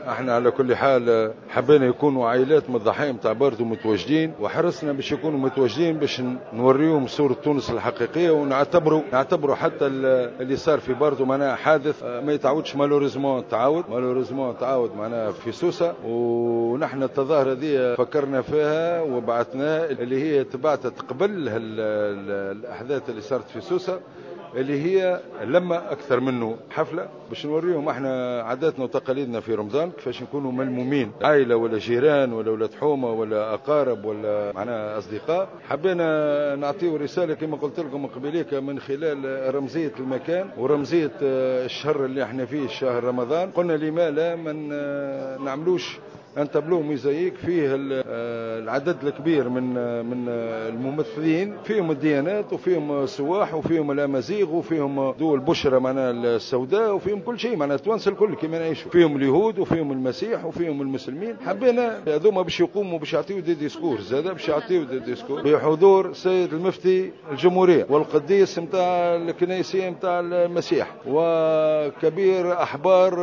احنا على كل حال حبينا يكونوا عائلات من الضحايا نتاع باردو متواجدين، وحرصنا باش يكونوا متواجدين باش نوريهم صورة تونس الحقيقية، ونعتبروا حتى اللي صار في باردو معناها حادث ما يتعاودش، malheureusement تعاود، malheureusement تعاود معناها في سوسة. ونحن التظاهرة دي فكرنا فيها وبعثناها، اللي هي تبعتت قبل الأحداث اللي صارت في سوسة، اللي هي لما أكثر منه حفلة باش نوريهم احنا عاداتنا وتقاليدنا في رمضان كيفاش نكونوا ملمومين، عائلة ولا جيران ولا ولاد حومة ولا أقارب ولا معناها أصدقاء. حبينا نعطيو رسالة كما قلت لكم قبليك من خلال رمزية المكان ورمزية الشهر اللي احنا فيه، شهر رمضان. قلنا لما لا من نعملوش un tableau mosaïque فيه العدد الكبير من الممثلين، فيهم الديانات وفيهم السواح وفيهم الامازيغ وفيهم دول البشرة معناها السوداء وفيهم كل شيء، معناها التوانسة الكل كما نعيشوا، فيهم اليهود وفيهم المسيح وفيهم المسلمين. حبينا هذوما باش يقوموا باش يعطيو des discours، زاد باش يعطيو des discours بحضور سيد المفتي الجمهورية والقديس نتاع الكنيسيه نتاع المسيح وكبير احبار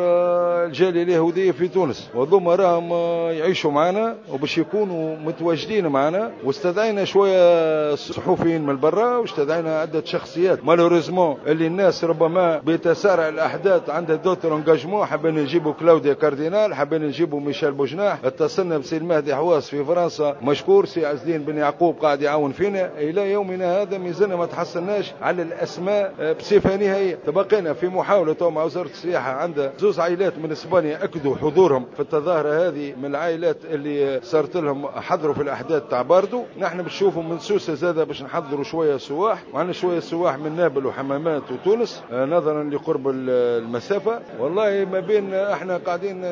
الجالية اليهودية في تونس، وهذوما راهم يعيشوا معنا وباش يكونوا متواجدين معنا. واستدعينا شوية صحفيين من برا واستدعينا عده شخصيات، malheureusement اللي الناس ربما بتسارع الاحداث عندها d'autres engagements. حابين نجيبوا كلاوديا كاردينال، حابين نجيبوا ميشيل بوجناح، اتصلنا بسي المهدي حواس في فرنسا مشكور، سي عز الدين بن يعقوب قاعد يعاون فينا. الى يومنا هذا مازلنا ما تحصلناش على الاسماء بصفة نهائية. تبقينا في محاولة مع وزارة السياحة، عندها زوز عائلات من اسبانيا اكدوا حضورهم في التظاهرة هذه، من العائلات اللي صارت لهم حضروا في الاحداث تاع باردو. نحن بنشوفوا من سوسة زاده باش نحضروا شوية سواح، وعندنا شوية سواح من نابل وحمامات وتونس نظرا لقرب المسافة. والله ما بين احنا قاعدين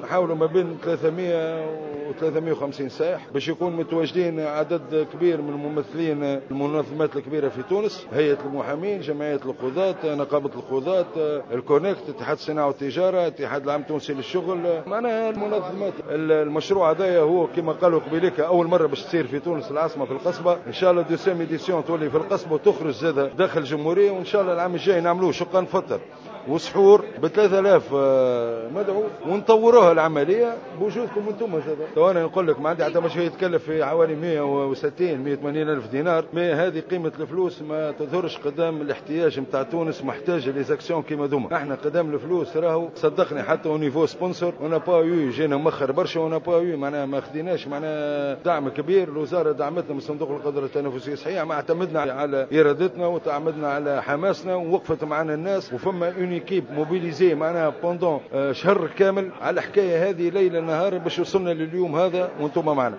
نحاولوا ما بين 300 و 350 سائح باش يكون متواجدين عدد كبير من الممثلين المنظمات الكبيرة في تونس، هيئة المحامين، جمعية القضاة، نقابة القضاة، الكونكت، اتحاد الصناعة والتجارة، اتحاد العام التونسي للشغل، معناها المنظمات. المشروع هذايا هو كما قالوا قبيلك اول مرة باش تصير في تونس العاصمة في القصبة، ان شاء الله deuxième édition تولي في القصبة وتخرج زاده داخل الجمهورية، وان شاء الله العام الجاي نعملوه شقان فطر وسحور ب 3000 مدعو ونطوروها العملية بوجودكم انتم زاد. تو انا نقول لك ما عندي حتى مشروع يتكلف في حوالي 160 180 الف دينار، mais هذه قيمة الفلوس ما تظهرش قدام الاحتياج نتاع تونس، محتاجه les actions كيما دوما. احنا قدام الفلوس راهو صدقني حتى au niveau sponsor on n'a pas eu، جينا مخر برشا on n'a pas eu، معناها ما خديناش معناها دعم كبير. الوزارة دعمتنا من صندوق القدرة التنافسية صحيح، ما اعتمدنا على ارادتنا وتعمدنا على حماسنا ووقفت معنا الناس، وفما une équipe mobilisée معناها pendant شهر كامل على الحكاية هذه ليل نهار باش وصلنا لليوم هذا وانتم معنا.